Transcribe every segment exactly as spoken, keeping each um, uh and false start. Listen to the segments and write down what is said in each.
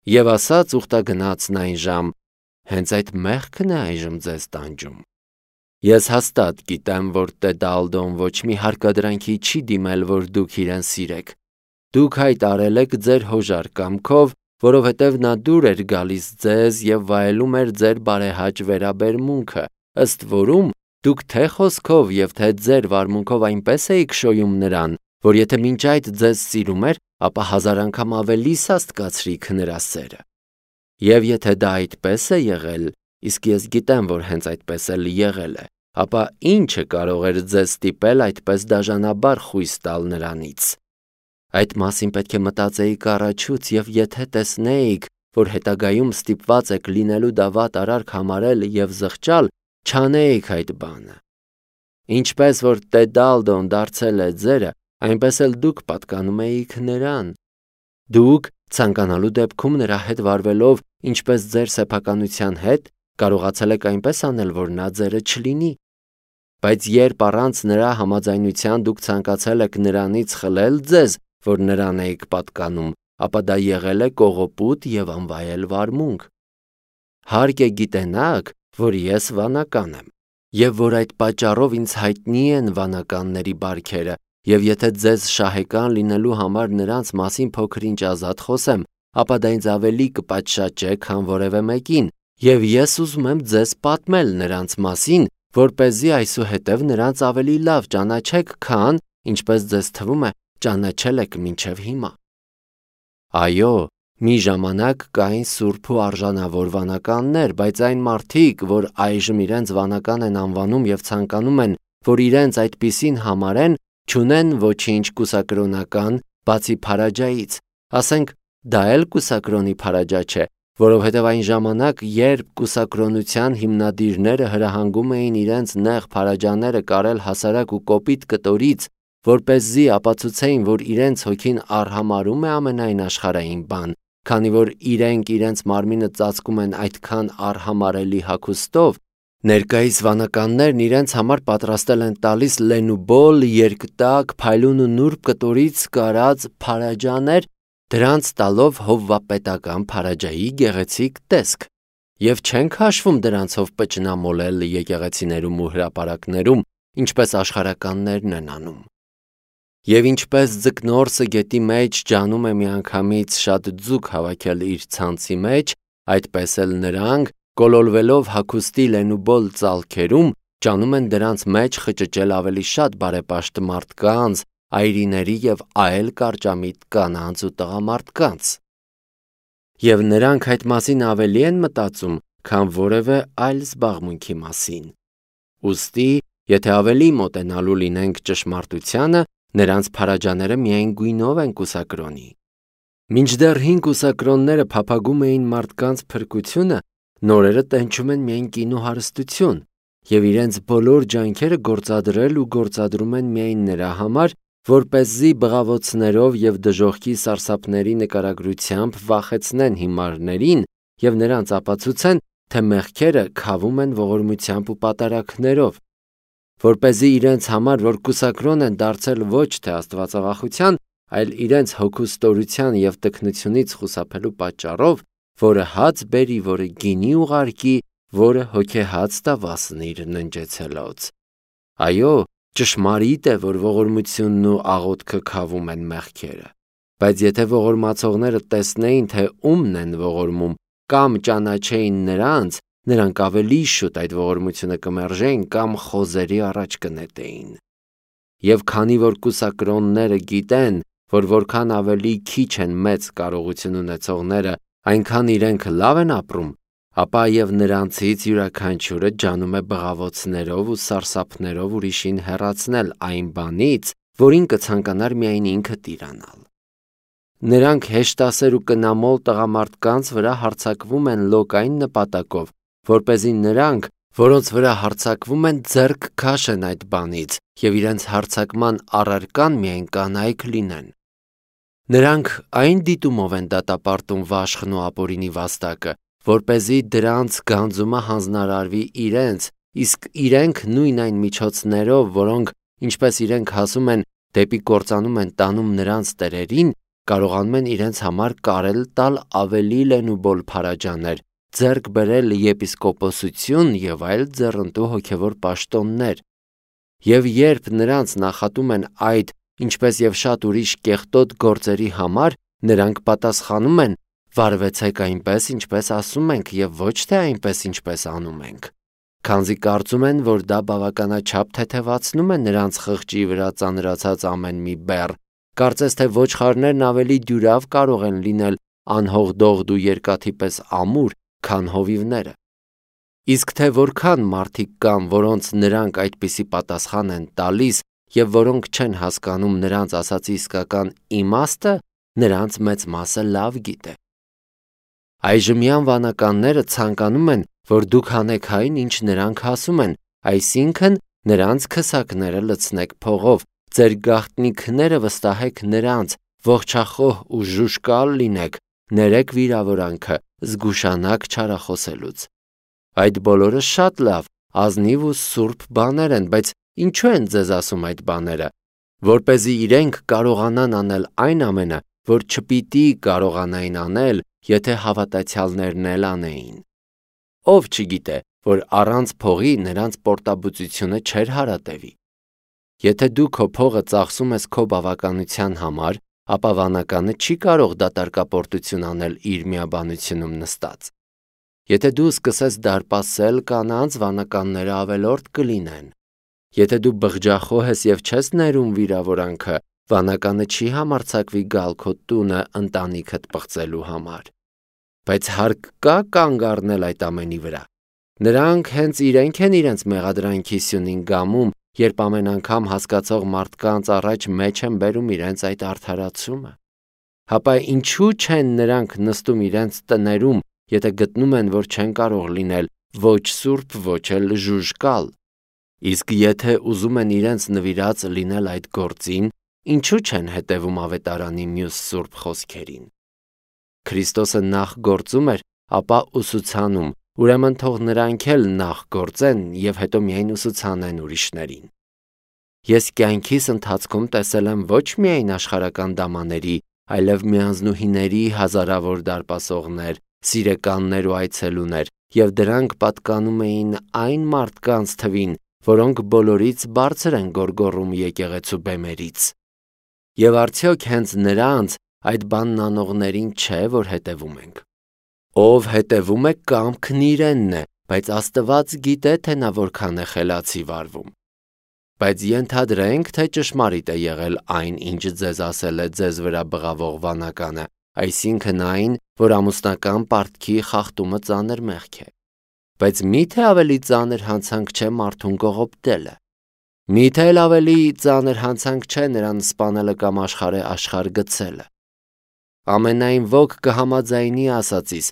Եվ ասաց ուխտագնացն այն ժամ. հենց այդ մեղքն է այժմ ձեզ տանջում։ Ես հաստատ գիտեմ, որ Տեդալդոն ոչ մի հարկադրանքի չի դիմել, որ դուք իրեն սիրեք։ Դուք հայտ արել եք ձեր հոժար կամքով, որովհետև նա դուր էր գալիս ձեզ և վայելում էր ձեր բարեհաճ վերաբերմունքը, ըստ որում դուք թե խոսքով և թե ձեր վարմունքով այնպես էիք շոյում նրան, որ եթե մինչ այդ ձեզ սիրում էր, ապա հազար անգամ ավելի սաստկացրիք նրա սերը։ Եվ եթե դա այդպես է եղել, իսկ ես գիտեմ, որ հենց այդպես էլ եղել է, ապա ի՞նչը կարող էր ձեզ ստիպել այդպես դաժանաբար խույս տալ նրանից։ Այդ մասին պետք է մտածեիք առաջուց, և եթե տեսնեիք, որ հետագայում ստիպված եք լինելու դավատ արարք համարել և զղջալ, չանեիք այդ բանը։ Ինչպես որ Տեդալդոն դարձել է ձերը, այնպես էլ դուք պատկանում էիք նրան։ Դուք, ցանկանալու դեպքում նրա հետ վարվելով ինչպես ձեր սեփականության հետ, կարողացել եք այնպես անել, որ նա ձերը չլինի։ Բայց երբ առանց նրա համաձայնության դուք ցանկացել եք նրանից խլել ձեզ, որ նրան էիք պատկանում, ապա դա եղել է կողոպուտ և անվայել վարմունք։ Հարկ է գիտենաք, որ ես վանական եմ, և որ այդ պատճառով ինձ հայտնի են վանականների բարքերը, և եթե ձեզ շահեկան լինելու համար նրանց մասին փոքր-ինչ ազատ խոսեմ, ապա դա ինձ ավելի կպատշաճե, քան որևէ մեկին, և ես ուզում եմ ձեզ պատմել նրանց մասին, որպեսզի այսուհետև նրանց ավելի լավ ճանաչեք, քան, ինչպես ձեզ թվում է, ճանաչել եք մինչև հիմա։ Այո, մի ժամանակ կային սուրբ ու արժանավոր վանականներ, բայց այն մարդիկ, որ այժմ իրենց վանական են անվանում և ցանկանում են, որ իրենց այդպիսին համարեն, չունեն ոչինչ կուսակրոնական, բացի փարաջայից, ասենք, դա էլ կուսակրոնի փարաջա չէ, որովհետև այն ժամանակ, երբ կուսակրոնության հիմնադիրները հրահանգում էին իրենց նեղ փարաջաները կարել հասարակ ու կոպիտ կտորից, որպեսզի ապացուցեին, որ իրենց հոգին արհամարհում է ամենայն աշխարհային բան, քանի որ իրենք իրենց մարմինը ծածկում են այդքան արհամարհելի հագուստով, ներկայիս վանականներն իրենց համար պատրաստել են տալիս լենուբոլ, երկտակ, փայլուն ու նուրբ կտորից կարած փարաջաներ, դրանց տալով հովվապետական փարաջայի գեղեցիկ տեսք, և չենք հաշվում դրանցով պճնամոլել եկեղեցիներում ու հրապարակներում, ինչպես աշխարհականներն են անում։ Եվ ինչպես ձկնորսը գետի մեջ ջանում է միանգամից շատ ձուկ հավաքել իր ցանցի մեջ, այդպես էլ նրանք, կոլորվելով հագուստի լենուբոլ ծալքերում, ջանում են դրանց մեջ խճճել ավելի շատ բարեպաշտ մարդկանց, այրիների և այլ կարճամիտ կանանց ու տղամարդկանց։ Եվ նրանք այդ մասին ավելի են մտածում, քան որևէ այլ զբաղմունքի մասին։ Ուստի, եթե ավելի մոտենալու լինենք ճշմարտությանը, նրանց փարաջաները միայն գույնով են կուսակրոնի։ Մինչդեռ հին կուսակրոնները փափագում էին մարդկանց փրկությունը, նորերը տենչում են միայն կին ու հարստություն, և իրենց բոլոր ջանքերը գործադրել ու գործադրում են միայն նրա համար, որպեսզի բղավոցներով և դժոխքի սարսափների նկարագրությամբ վախեցնեն հիմարներին և նրանց ապացուցեն, թե մեղքերը քավում են ողորմությամբ ու պատարագներով, որպեսզի իրենց համար, որ կուսակրոն են դարձել ոչ թե աստվածավախության, այլ իրենց հոգու ստորության և տքնությունից խուսափելու պատճառով, որը հաց բերի, որը գինի ուղարկի, որը հոգեհաց տա վասնիր ննջեցելոց։ Այո, ճշմարիտ է, որ ողորմությունն ու աղոթքը քավում են մեղքերը, բայց եթե ողորմացողները տեսնեին, թե ումն են ողորմում, կամ ճանաչեին նրանց, նրանք ավելի շուտ այդ ողորմությունը կմերժեին կամ խոզերի առաջ կնետեին։ Եվ քանի որ կուսակրոնները գիտեն, որ որքան ավելի քիչ են մեծ կարողություն ունեցողները, այնքան իրենք լավ են ապրում, ապա և նրանցից յուրաքանչյուրը ջանում է բղավոցներով ու սարսափներով ուրիշին հեռացնել այն բանից, որին կցանկանար միայն ինքը տիրանալ։ Նրանք հեշտասեր ու կնամոլ տղամարդկանց վրա հարձակվում են լոկ այն նպատակով, որպեսզի նրանք, որոնց վրա հարձակվում են, ձեռք քաշեն այդ բանից և իրենց հարձակման առարկան միայն կանայք լինեն։ Նրանք այն դիտումով են դատապարտում վաշխն ու ապօրինի վաստակը, որպեսզի դրանց գանձումը հանձնարարվի իրենց, իսկ իրենք նույն այն միջոցներով, որոնք, ինչպես իրենք ասում են, դեպի կործանում են տանում նրանց տերերին, կարողանում են իրենց համար կարել տալ ավելի լենուբոլ փարաջաներ, ձեռք բերել եպիսկոպոսություն եւ այլ ձեռնտու հոգևոր պաշտոններ։ Եվ երբ նրանց նախատում են այդ, ինչպես եւ շատ ուրիշ կեղտոտ գործերի համար, նրանք պատասխանում են. «Վարվեցեք այնպես, ինչպես ասում ենք, եւ ոչ թե այնպես, ինչպես անում ենք», քանզի կարծում են, որ դա բավականաչափ թեթևացնում է նրանց խղճի վրա ծանրացած ամեն մի բեռ, կարծես թե ոչխարներն ավելի դյուրավ կարող են լինել անհողդողդ ու երկաթի պես ամուր, քան հովիվները։ Իսկ թե որքան մարդիկ կան, որոնց նրանք այդպիսի պատասխան են տալիս եւ որոնք չեն հասկանում նրանց ասացի իսկական իմաստը, նրանց մեծ մասը լավ գիտե։ Այժմյան վանականները ցանկանում են, որ դուք հանեք այն, ինչ նրանք ասում են, այսինքն նրանց քսակները լցնեք փողով, ձեր գաղտնիքները վստահեք նրանց, ողջախոհ ու ժուժկալ լինեք, ներեք վիրավորանքը, զգուշանաք չարախոսելուց։ Այդ բոլորը շատ լավ, ազնիվ ու սուրբ բաներ են, բայց ինչու են ձեզ ասում այդ բաները, որպեսզի իրենք կարողանան անել այն ամենը, որ չպիտի կարողանային անել, եթե հավատացյալներն էլ անեին։ Ով չգիտե, որ առանց փողի նրանց պորտաբուծությունը չէր հարատևի։ Եթե դու քո փողը ծախսում ես քո բավականության համար, ապա վանականը չի կարող դատարկապորտություն անել իր միաբանությունում նստած։ Եթե դու սկսես դարպասել կանանց, վանականները ավելորդ կլինեն։ Եթե դու բղջախոհ ես եւ չես ներում վիրավորանքը, վանականը չի համարձակվի գալ քո տունը ընտանիքդ պղծելու համար։ Բայց հարկ կա կանգ առնել այդ ամենի վրա։ Նրանք հենց իրենք են իրենց մեղադրանքի սյունին գամում, երբ ամեն անգամ հասկացող մարդկանց առաջ մեջ են բերում իրենց այդ արդարացումը։ Հապա ինչու չեն նրանք նստում իրենց տներում, եթե գտնում են, որ չեն կարող լինել ոչ սուրբ, ոչ էլ ժուժկալ։ Իսկ եթե ուզում են իրենց նվիրած լինել այդ գործին, ինչու չեն հետևում ավետարանի մյուս սուրբ խոսքերին։ Քրիստոսը նախ գործում էր, ապա ուսուցանում, ուրեմն թող նրանք էլ նախ գործեն եւ հետո միայն ուսուցանեն ուրիշներին։ Ես կյանքիս ընթացքում տեսել եմ ոչ միայն աշխարհական դամաների, այլև միանձնուհիների հազարավոր դարպասողներ, սիրեկաններ ու այցելուներ, եւ դրանք պատկանում էին այն մարդկանց թվին, որոնք բոլորից բարձր են գոռգոռում եկեղեցու բեմերից։ Եվ արդյոք հենց նրանց այդ բանն անողներին չէ, որ հետևում ենք։ Ով հետևում է կամքն իրենն է, բայց Աստված գիտե, թե նա որքան է խելացի վարվում։ Բայց ենթադրենք, թե ճշմարիտ է եղել այն, ինչ ձեզ ասել է ձեզ վրա բղավող վանականը, այսինքն այն, որ ամուսնական պարտքի խախտումը ծանր մեղք է։ Բայց միթե ավելի ծանր հանցանք չէ մարդուն կողոպտելը։ Միթե էլ ավելի ծանր հանցանք չէ նրան սպանելը կամ աշխարհը աշխարհ գցելը։ Ամենայն ոք կհամաձայնի ասածիս,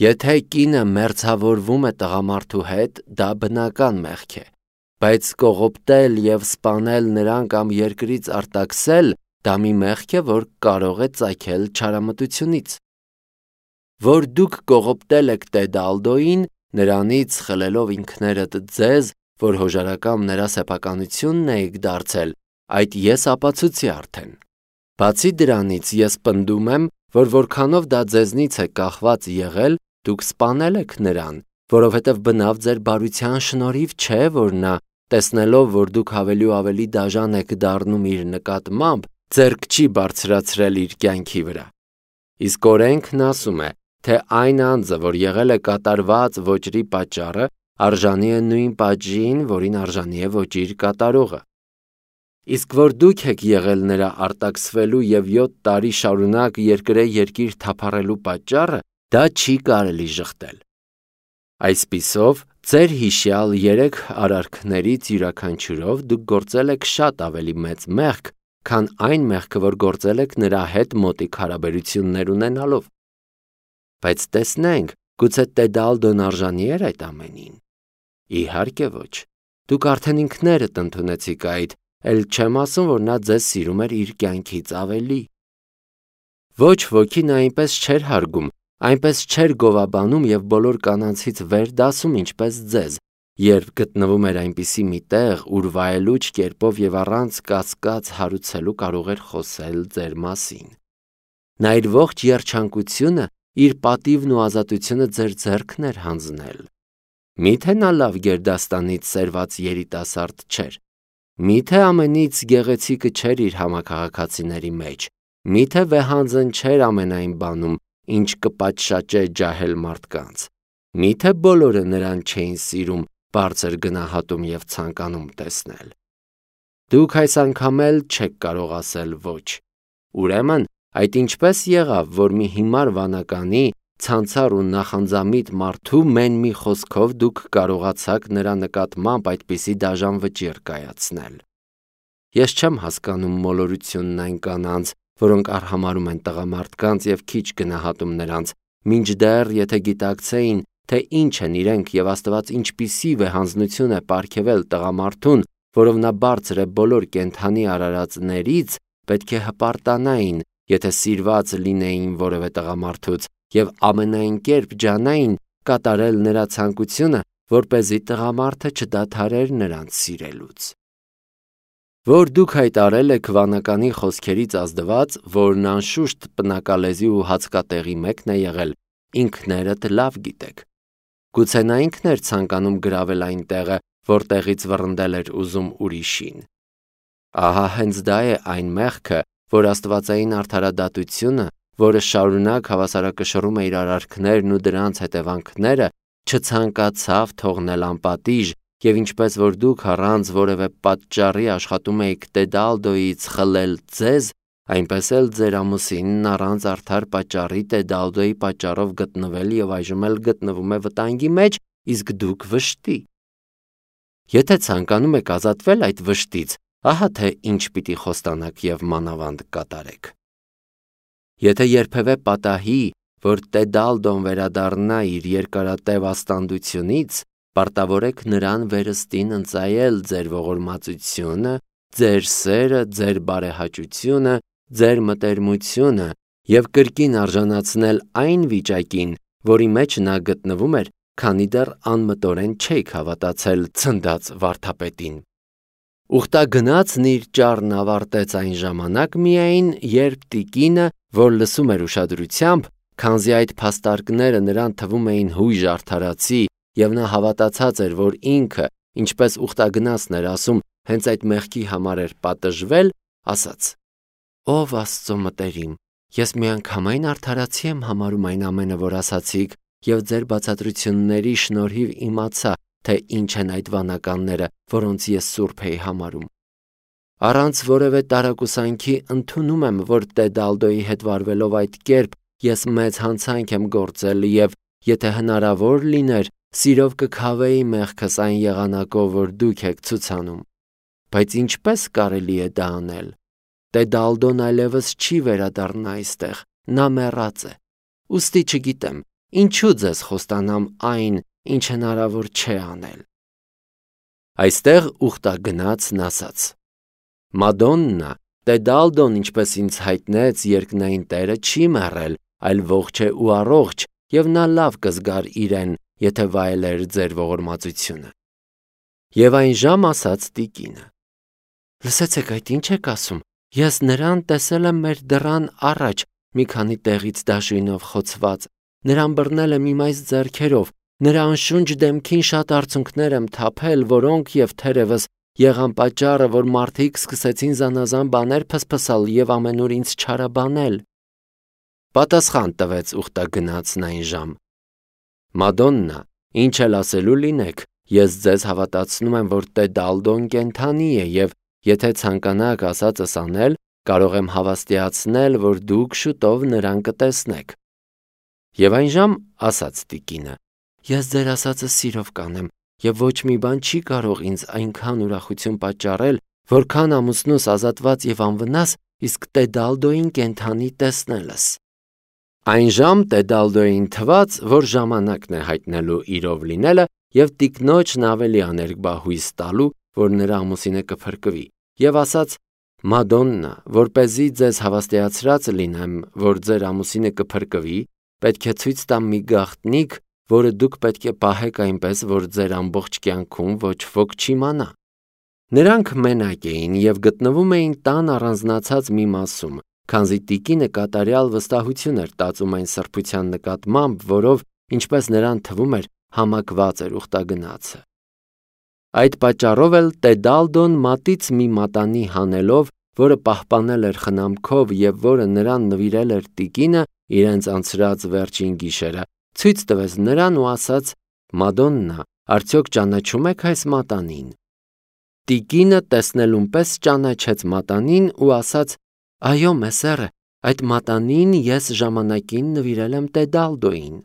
եթե կինը մերձավորվում է տղամարդու հետ, դա բնական մեղք է, բայց կողոպտել եւ սպանել նրան կամ երկրից արտաքսել, դա մի մեղք է, որ կարող է ծագել չարամտությունից։ Որ դուք կողոպտել եք Տեդալդոին, նրանից խլելով ինքներդ ձեզ, որ հոժարակամ նրա սեփականությունն եք դարձել, այդ ես ապացուցի արդեն։ Բացի դրանից ես պնդում եմ, որ որքանով դա ձեզնից է կախված եղել, դուք սպանել եք նրան, որովհետև բնավ ձեր բարության շնորհիվ չէ, որ նա, տեսնելով, որ դուք ավելի ու ավելի դաժան եք դառնում իր նկատմամբ, ձեռք չի բարձրացրել իր կյանքի վրա։ Իսկ օրենքն ասում է, թե այն անձը, որ եղել է կատարված ոճրի պատճառը, արժանի է նույն պատժին, որին արժանի է ոճիր կատարողը։ Իսկ որ դուք եք եղել նրա արտաքսվելու եւ յոթ տարի շարունակ երկրե երկիր թափառելու պատճառը, դա չի կարելի ժխտել։ Այսպիսով, ձեր հիշյալ երեք արարքներից յուրաքանչյուրով դուք գործել եք շատ ավելի մեծ մեղք, քան այն մեղքը, որ գործել եք նրա հետ մոտիկ հարաբերություններ ունենալով։ Բայց տեսնենք, գուցե Տեդալդոն արժանի էր այդ ամենին։ Իհարկե ոչ։ Դուք արդեն ինքներդ ընդունեցիք այդ, էլ չեմ ասում, որ նա ձեզ սիրում էր իր կյանքից ավելի։ Ոչ ոքի նա այնպես չէր հարգում, այնպես չէր գովաբանում եւ բոլոր կանանցից վեր դասում ինչպես ձեզ, երբ գտնվում էր այնպիսի մի տեղ, ուր վայելուչ կերպով եւ առանց կասկած հարուցելու կարող էր խոսել ձեր մասին։ նա իր ողջ երջանկությունը, իր պատիվն ու ազատությունը ձեր ձեռքն էր հանձնել։ Միթե նա լավ գերդաստանից սերված երիտասարդ չէր։ Միթե ամենից գեղեցիկը չէր իր համաքաղաքացիների մեջ։ Միթե վեհանձն չէր ամենայն բանում, ինչ կպատշաճե ջահել մարդկանց։ Միթե բոլորը նրան չէին սիրում, բարձր գնահատում և ցանկանում տեսնել։ Դուք այս անգամ էլ չեք կարող ասել ոչ։ Ուրեմն, այդ ինչպես եղավ, որ մի հիմար վանականի, ցանցառ ու նախանձամիտ մարդու մեն մի խոսքով դուք կարողացաք նրա նկատմամբ այդպիսի դաժան վճիռ կայացնել։ Ես չեմ հասկանում մոլորությունն այն կանանց, որոնք արհամարհում են տղամարդկանց և քիչ գնահատում նրանց, մինչդեռ եթե գիտակցեին, թե ինչ են իրենք և Աստված ինչպիսի վեհանձնություն է պարգևել տղամարդուն, որով նա բարձր է բոլոր կենդանի արարածներից, պետք է հպարտանային, եթե սիրված լինեին որևէ տղամարդուց և ամենայն կերպ ջանային կատարել նրա ցանկությունը, որպեսզի տղամարդը չդադարեր նրանց սիրելուց։ Որ դուք հայտարել եք վանականի խոսքերից ազդված, որն անշուշտ պնակալեզի ու հացկատեղի մեկն է եղել, ինքներդ լավ գիտեք։ Գուցե նա ինքն էր ցանկանում գրավել այն տեղը, որտեղից վռնդել էր ուզում ուրիշին։ Ահա հենց դա է այն մեղքը, որ աստվածային արդարադատությունը, որը շարունակ հավասարակշռում է իր արարքներն ու դրանց հետևանքները, չցանկացավ թողնել անպատիժ, և ինչպես որ դուք առանց որևէ պատճառի աշխատում էիք Տեդալդոյից խլել ձեզ, այնպես էլ ձեր ամուսինն առանց արդար պատճառի Տեդալդոյի պատճառով գտնվել և այժմ էլ գտնվում է վտանգի մեջ, իսկ դուք վշտի։ Եթե ցանկանում եք ազատվել այդ վշտից, ահա թե ինչ պիտի խոստանաք և մանավանդ կատարեք։ Եթե երբևէ պատահի, որ Տեդալդոն վերադառնա իր երկարատև աստանդությունից, պարտավորեք նրան վերստին ընծայել ձեր ողորմածությունը, ձեր սերը, ձեր բարեհաճությունը, ձեր մտերմությունը և կրկին արժանացնել այն վիճակին, որի մեջ նա գտնվում էր, քանի դեռ անմտորեն չէիք հավատացել ցնդած վարդապետին։ Ուխտագնացն իր ճառն ավարտեց այն ժամանակ միայն, երբ տիկինը, որ լսում էր ուշադրությամբ, քանզի այդ փաստարկները նրան թվում էին հույժ արդարացի, և նա հավատացած էր, որ ինքը, ինչպես ուխտագնացն էր ասում, հենց այդ մեղքի համար էր պատժվել, ասաց. «Ով Աստծո մտերիմ, ես միանգամայն արդարացի եմ համարում այն ամենը, որ ասացիք, և ձեր բացատրությունների շնորհիվ իմացա, թե ինչ են այդ վանականները, որոնց ես սուրբ էի համարում։ Առանց որևէ տարակուսանքի ընդունում եմ, որ Տեդալդոյի հետ վարվելով այդ կերպ ես մեծ հանցանք եմ գործել և, եթե հնարավոր լիներ, սիրով կքավեի մեղքս այն եղանակով, որ դուք եք ցուցանում։ Բայց ինչպես կարելի է դա անել։ Տեդալդոն այլևս չի վերադառնա այստեղ, նա մեռած է։ Ուստի չգիտեմ, ինչու ձեզ խոստանամ այն, ինչ հնարավոր չէ անել»։ Այստեղ ուխտագնացն ասաց. «Մադոննա, Տեդալդոն, ինչպես ինձ հայտնեց, երկնային Տերը չի մեռել, այլ ողջ է ու առողջ, և նա լավ կզգար իրեն, եթե վայելեր ձեր ողորմածությունը»։ Եվ այն ժամ ասաց տիկինը. «Լսեցեք, այդ ինչ եք ասում, ես նրան տեսել եմ մեր դռան առաջ, մի քանի տեղից դաշույնով խոցված, նրան բռնել եմ իմ այս ձեռքերով, նրա անշունչ դեմքին շատ արցունքներ եմ թափել, որոնք և թերևս եղան պատճառը, որ մարդիկ սկսեցին զանազան բաներ փսփսալ և ամենուր ինձ չարաբանել»։ Պատասխան տվեց ուխտագնացն այն ժամ. «Մադոննա, ինչ էլ ասելու լինեք, ես ձեզ հավատացնում եմ, որ Տեդալդոն կենդանի է, և եթե ցանկանաք ասածս անել, կարող եմ հավաստիացնել, որ դուք շուտով նրան կտեսնեք»։ Եվ այն ժամ ասաց տիկինը. «Ես ձեր ասածը սիրով կանեմ, և ոչ մի բան չի կարող ինձ այնքան ուրախություն պատճառել, որքան ամուսնուս ազատված և անվնաս, իսկ Տեդալդոյին կենդանի տեսնելս»։ Այն ժամ Տեդալդոյին թվաց, որ ժամանակն է հայտնելու իրով լինելը և տիկնոջն ավելի աներկբա հույս տալու, որ նրա ամուսինը կփրկվի, և ասաց. «Մադոննա, որպեսզի ձեզ հավաստիացրած լինեմ, որ ձեր ամուսինը կփրկվի, պետք է ցույց տամ մի գաղտնիք, որը դուք պետք է պահեք այնպես, որ ձեր ամբողջ կյանքում ոչ ոք չիմանա»։ Նրանք մենակ էին և գտնվում էին տան առանձնացած մի մասում, քանզի տիկինը կատարյալ վստահություն էր տածում այն սրբության նկատմամբ, որով, ինչպես նրան թվում էր, համակված էր ուխտագնացը։ Այդ պատճառով էլ Տեդալդոն մատից մի մատանի հանելով, որը պահպանել էր խնամքով եւ որը նրան նվիրել էր տիկինը իրենց անցրած վերջին գիշերը, ցույց տվեց նրան ու ասաց. «Մադոննա, արդյոք ճանաչում եք այս մատանին»։ Տիկինը տեսնելուն պես ճանաչեց մատանին ու ասաց. «Այո, մեսերը, այդ մատանին ես ժամանակին նվիրել եմ Տեդալդոյին»։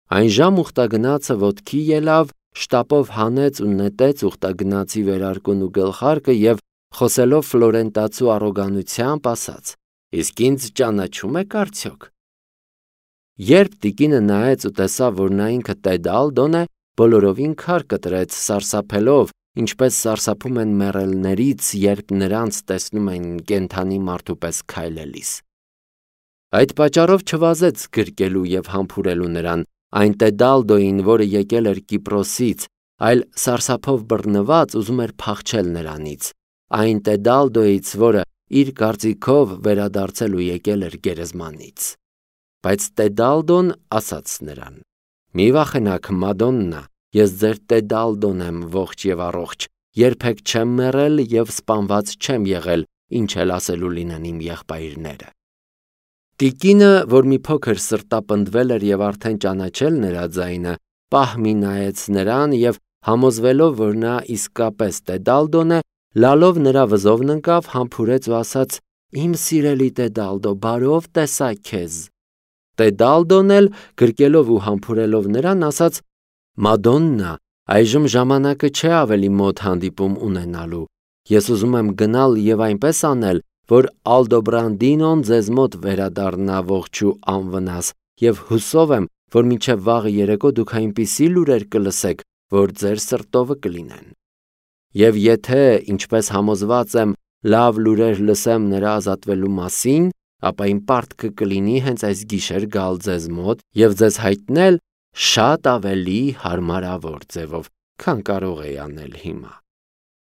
Այն ժամ ուխտագնացը ոտքի ելավ, շտապով հանեց ու նետեց ուխտագնացի վերարկուն ու գլխարկը եւ խոսելով ֆլորենտացու առոգանությամբ ասաց. «Իսկ ինձ ճանաչում եք արդյոք»։ Երբ տիկինը նայեց ու տեսավ, որ նա ինքը Տեդալդոն է, բոլորովին քար կտրեց, սարսափելով, ինչպես սարսափում են մեռելներից, երբ նրանց տեսնում են կենդանի մարդու պես քայլելիս։ Այդ պատճառով չվազեց գրկելու եւ համբուրելու նրան, այն Տեդալդոյին, որը եկել էր Կիպրոսից, այլ սարսափով բռնված ուզում էր փախչել նրանից, այն Տեդալդոյից, որը իր կարծիքով վերադարձել ու եկել էր գերեզմանից։ Բայց Տեդալդոն ասաց նրան. «Մի վախենաք, Մադոննա, ես ձեր Տեդալդոն եմ ողջ եւ առողջ, երբեք չեմ մեռել եւ սպանված չեմ եղել, ինչ էլ ասելու լինեն իմ եղբայրները»։ Տիկինը, որ մի փոքր սրտապնդվել էր եւ արդեն ճանաչել նրա ձայնը, պահ մի նայեց նրան եւ համոզվելով, որ նա իսկապես Տեդալդոն է, լալով նրա վզովն ընկավ, համբուրեց ու ասաց. «Իմ սիրելի Տեդալդո, բարով տեսա քեզ»։ Տեդալդոն էլ գրկելով ու համբուրելով նրան ասաց. «Մադոննա, այժմ ժամանակը չէ ավելի մոտ հանդիպում ունենալու։ Ես ուզում եմ գնալ եւ այնպես անել, որ Ալդոբրանդինոն ձեզ մոտ վերադառնա ողջ ու անվնաս, եւ հուսով եմ, որ մինչև վաղը երեկո դուք այնպիսի լուրեր կլսեք, որ ձեր սրտովը կլինեն։ Եվ եթե, ինչպես համոզված եմ, լավ լուրեր լսեմ նրա ազատվելու մասին, ապա իմ պարտքը կլինի հենց այս գիշեր գալ ձեզ մոտ եւ ձեզ հայտնել շատ ավելի հարմարավոր ձևով, քան կարող էի անել հիմա»։